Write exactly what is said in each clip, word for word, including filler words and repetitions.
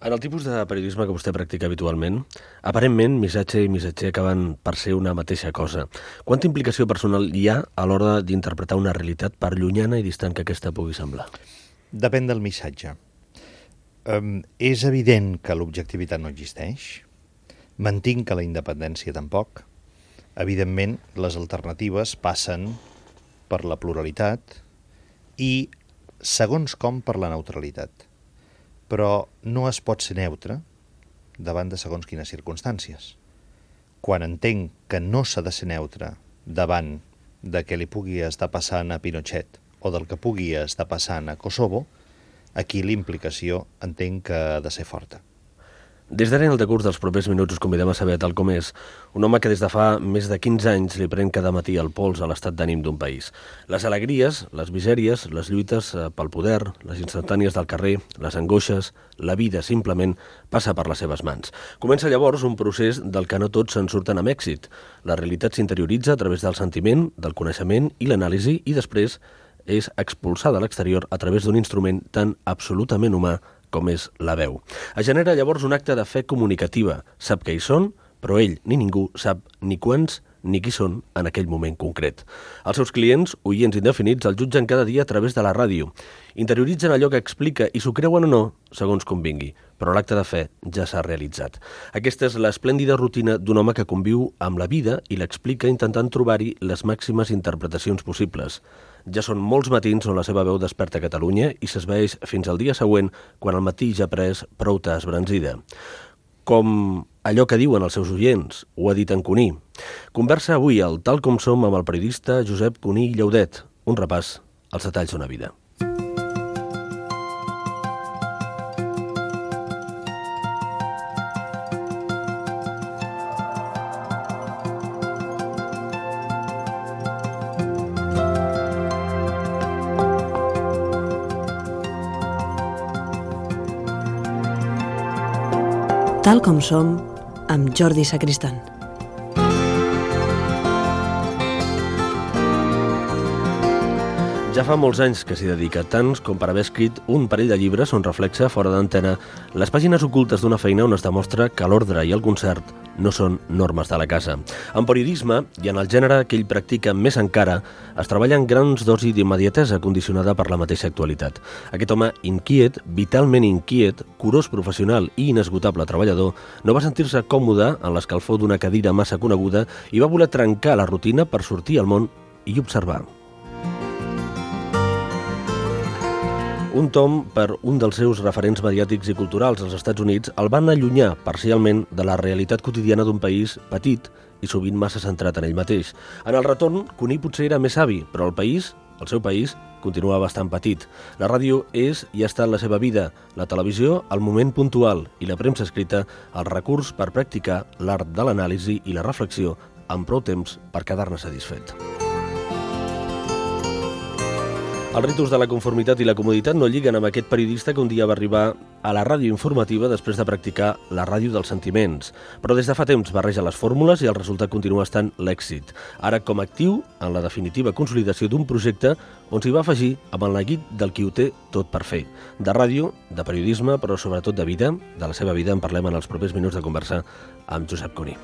En el tipus de periodisme que vostè practica habitualment, aparentment, missatge i missatger acaben per ser una mateixa cosa. Quanta implicació personal hi ha a l'hora d'interpretar una realitat, per llunyana i distant que aquesta pugui semblar? Depèn del missatge. Um, és evident que l'objectivitat no existeix. Mantinc que la independència tampoc. Evidentment, les alternatives passen per la pluralitat i, segons com, per la neutralitat. Però no es pot ser neutre davant de segons quines circumstàncies. Quan entenc que no s'ha de ser neutre davant de què li pugui estar passant a Pinochet o del que pugui estar passant a Kosovo, aquí l'implicació entenc que ha de ser forta. Des d'ara en el decurs dels propers minuts us convidem a saber tal com és un home que des de fa més de quinze anys li pren cada matí el pols a l'estat d'ànim d'un país. Les alegries, les misèries, les lluites pel poder, les instantànies del carrer, les angoixes, la vida simplement passa per les seves mans. Comença llavors un procés del que no tots se'n surten amb èxit. La realitat s'interioritza a través del sentiment, del coneixement i l'anàlisi i després és expulsada a l'exterior a través d'un instrument tan absolutament humà com és la veu. Es genera llavors un acte de fe comunicativa. Sap què hi són, però ell ni ningú sap ni quants ni qui són en aquell moment concret. Els seus clients, oients indefinits, el jutgen cada dia a través de la ràdio. Interioritzen allò que explica i s'ho creuen o no, segons convingui, però l'acte de fe ja s'ha realitzat. Aquesta és l'esplèndida rutina d'un home que conviu amb la vida i l'explica intentant trobar-hi les màximes interpretacions possibles. Ja són molts matins on la seva veu desperta Catalunya i s'esvaeix fins al dia següent, quan el matí ja ha pres prou esbranzida. Com allò que diuen els seus oients, ho ha dit en Cuní. Conversa avui al Tal com som amb el periodista Josep Cuní Llaudet. Un repàs als detalls d'una vida. Tal com som, amb Jordi Sacristán. Ja fa molts anys que s'hi dedica, tants com per haver escrit un parell de llibres on reflexa, fora d'antena, les pàgines ocultes d'una feina on es demostra que l'ordre i el concert no són normes de la casa. En periodisme, i en el gènere que ell practica més encara, es treballa en grans dosis d'immediatesa condicionada per la mateixa actualitat. Aquest home inquiet, vitalment inquiet, curós professional i inesgotable treballador, no va sentir-se còmode en l'escalfor d'una cadira massa coneguda i va voler trencar la rutina per sortir al món i observar. Un tom per un dels seus referents mediàtics i culturals als Estats Units el van allunyar parcialment de la realitat quotidiana d'un país petit i sovint massa centrat en ell mateix. En el retorn, Cuní potser era més savi, però el país, el seu país, continua bastant petit. La ràdio és i ha estat la seva vida, la televisió, el moment puntual i la premsa escrita, el recurs per practicar l'art de l'anàlisi i la reflexió amb prou temps per quedar-ne satisfet. Els ritus de la conformitat i la comoditat no lliguen amb aquest periodista que un dia va arribar a la ràdio informativa després de practicar la ràdio dels sentiments. Però des de fa temps barreja les fórmules i el resultat continua estant l'èxit. Ara com actiu en la definitiva consolidació d'un projecte on s'hi va afegir amb el neguit del qui ho té tot per fer. De ràdio, de periodisme, però sobretot de vida. De la seva vida en parlem en els propers minuts de conversar amb Josep Cuní.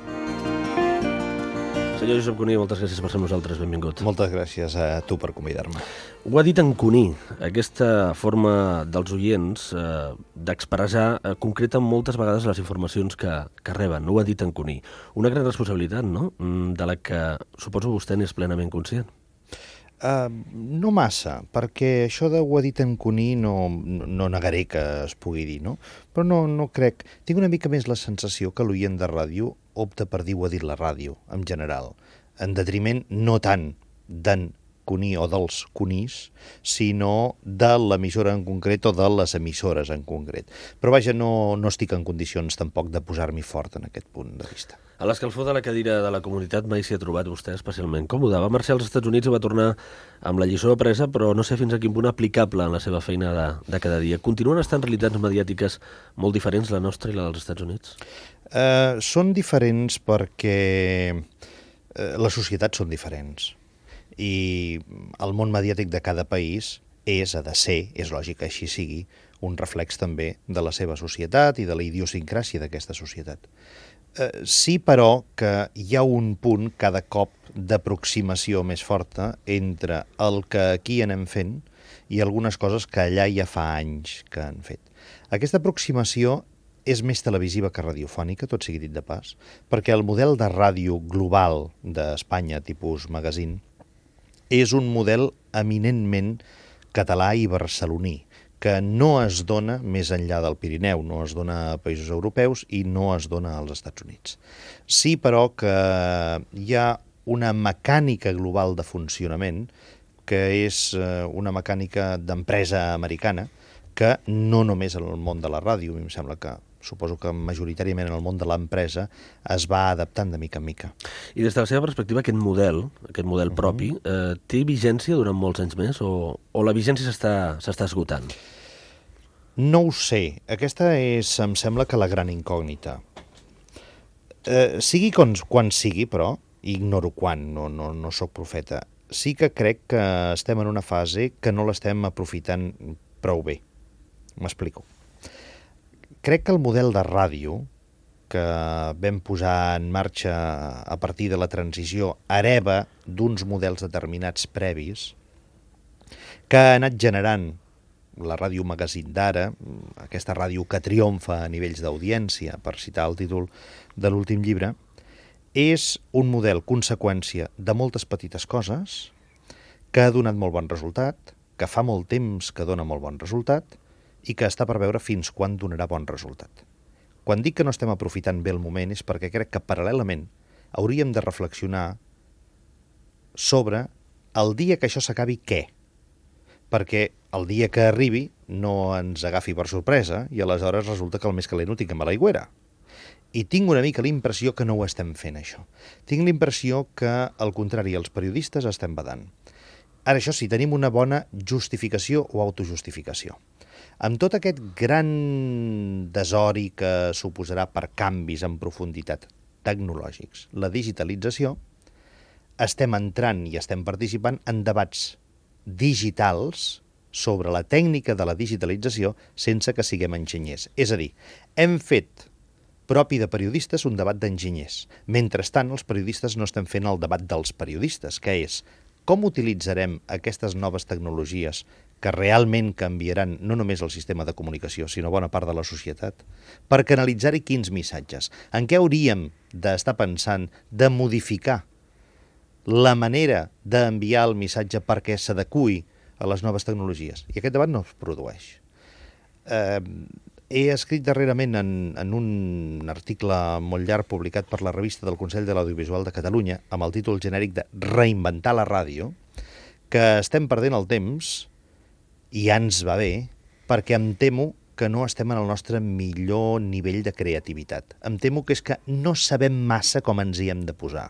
Senyor Josep Cuní, moltes gràcies per ser amb nosaltres, benvingut. Moltes gràcies a tu per convidar-me. Ho ha dit en Cuní, aquesta forma dels oients eh, d'expressar eh, concreta moltes vegades les informacions que, que reben. Ho ha dit en Cuní. Una gran responsabilitat, no?, de la que suposo vostè n'és plenament conscient. Uh, no massa, perquè això de ho ha dit en Cuní no, no negaré que es pugui dir, no? Però no, no crec... Tinc una mica més la sensació que l'oient de ràdio opta per dir ho ha dit la ràdio, en general, en detriment no tant d'en Cuní o dels Cunís, sinó de l'emissora en concret o de les emissores en concret. Però vaja, no, no estic en condicions tampoc de posar-m'hi fort en aquest punt de vista. A l'escalfor de la cadira de la comunitat mai s'hi ha trobat vostè especialment còmode. Va marxar als Estats Units i va tornar amb la lliçó apresa, però no sé fins a quin punt aplicable en la seva feina de, de cada dia. Continuen estant realitats mediàtiques molt diferents, la nostra i la dels Estats Units? Uh, són diferents perquè uh, les societats són diferents. I el món mediàtic de cada país és, ha de ser, és lògic que així sigui, un reflex també de la seva societat i de la idiosincràsia d'aquesta societat. Eh, sí, però, que hi ha un punt cada cop d'aproximació més forta entre el que aquí anem fent i algunes coses que allà ja fa anys que han fet. Aquesta aproximació és més televisiva que radiofònica, tot sigui dit de pas, perquè el model de ràdio global d'Espanya, tipus magazine, és un model eminentment català i barceloní, que no es dona més enllà del Pirineu, no es dona a països europeus i no es dona als Estats Units. Sí, però, que hi ha una mecànica global de funcionament que és una mecànica d'empresa americana que no només en el món de la ràdio, a mi em sembla que suposo que majoritàriament en el món de l'empresa es va adaptant de mica en mica. I des de la seva perspectiva, aquest model, aquest model propi, eh, té vigència durant molts anys més o, o la vigència s'està esgotant? No ho sé. Aquesta és, em sembla, que la gran incògnita. Eh, sigui quan, quan sigui, però, ignoro quan, no, no, no sóc profeta, sí que crec que estem en una fase que no l'estem aprofitant prou bé. M'explico. Crec que el model de ràdio que vam posar en marxa a partir de la transició hereva d'uns models determinats previs que ha anat generant la ràdio magazine d'ara, aquesta ràdio que triomfa a nivells d'audiència, per citar el títol de l'últim llibre, és un model conseqüència de moltes petites coses que ha donat molt bon resultat, que fa molt temps que dona molt bon resultat i que està per veure fins quan donarà bon resultat. Quan dic que no estem aprofitant bé el moment és perquè crec que paral·lelament hauríem de reflexionar sobre el dia que això s'acabi què, perquè el dia que arribi no ens agafi per sorpresa i aleshores resulta que el més calent ho tinguem a l'aigüera. I tinc una mica la impressió que no ho estem fent, això. Tinc la impressió que, al contrari, els periodistes estem badant. Ara, això sí, tenim una bona justificació o autojustificació. Amb tot aquest gran desori que suposarà per canvis en profunditat tecnològics, la digitalització, estem entrant i estem participant en debats digitals sobre la tècnica de la digitalització sense que siguem enginyers. És a dir, hem fet propi de periodistes un debat d'enginyers. Mentrestant, els periodistes no estem fent el debat dels periodistes, que és com utilitzarem aquestes noves tecnologies que realment canviaran no només el sistema de comunicació, sinó bona part de la societat, per canalitzar-hi quins missatges. En què hauríem d'estar pensant de modificar la manera d'enviar el missatge perquè s'adeqüi a les noves tecnologies? I aquest debat no es produeix. Eh, he escrit darrerament en, en un article molt llarg publicat per la revista del Consell de l'Audiovisual de Catalunya amb el títol genèric de Reinventar la ràdio, que estem perdent el temps i ja ens va bé, perquè em temo que no estem en el nostre millor nivell de creativitat. Em temo que és que no sabem massa com ens hi hem de posar,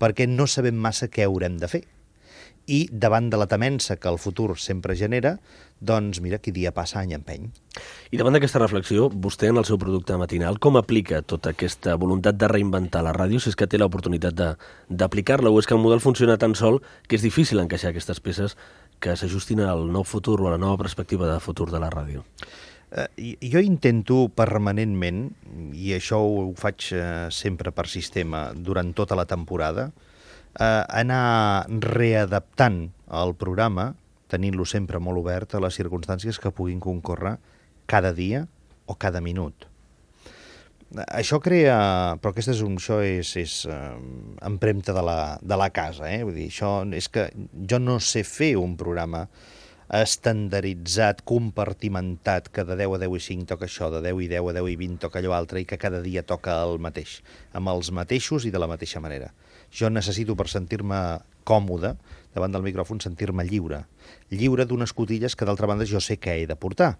perquè no sabem massa què haurem de fer. I davant de la temença que el futur sempre genera, doncs mira, qui dia passa any empeny. I davant d'aquesta reflexió, vostè en el seu producte matinal, com aplica tota aquesta voluntat de reinventar la ràdio, si és que té l'oportunitat d'aplicar-la, o és que el model funciona tan sol que és difícil encaixar aquestes peces que s'ajustin al nou futur o a la nova perspectiva de futur de la ràdio? Eh, jo intento permanentment, i això ho faig eh, sempre per sistema durant tota la temporada, eh, anar readaptant el programa, tenint-lo sempre molt obert a les circumstàncies que puguin concórrer cada dia o cada minut. Això crea... Però aquesta és, un, això és, és eh, empremta de la, de la casa, eh? Vull dir, això és que jo no sé fer un programa estandarditzat, compartimentat, que de deu a deu i cinc toca això, de deu i deu a deu i vint toca allò altre, i que cada dia toca el mateix, amb els mateixos i de la mateixa manera. Jo necessito, per sentir-me còmode davant del micròfon, sentir-me lliure. Lliure d'unes cotilles que, d'altra banda, jo sé que he de portar.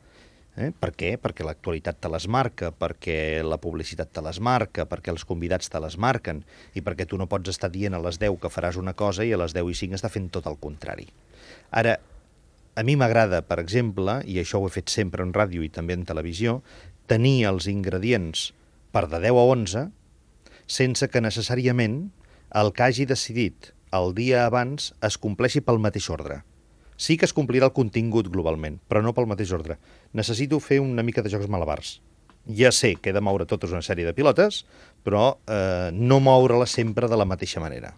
Eh? Per què? Perquè l'actualitat te les marca, perquè la publicitat te les marca, perquè els convidats te les marquen, i perquè tu no pots estar dient a les deu que faràs una cosa i a les deu i cinc estar fent tot el contrari. Ara, a mi m'agrada, per exemple, i això ho he fet sempre en ràdio i també en televisió, tenir els ingredients per de deu a onze sense que necessàriament el que hagi decidit el dia abans es compleixi pel mateix ordre. Sí que es complirà el contingut globalment, però no pel mateix ordre. Necessito fer una mica de jocs malabars. Ja sé que he de moure tota una sèrie de pilotes, però eh, no moure-les sempre de la mateixa manera.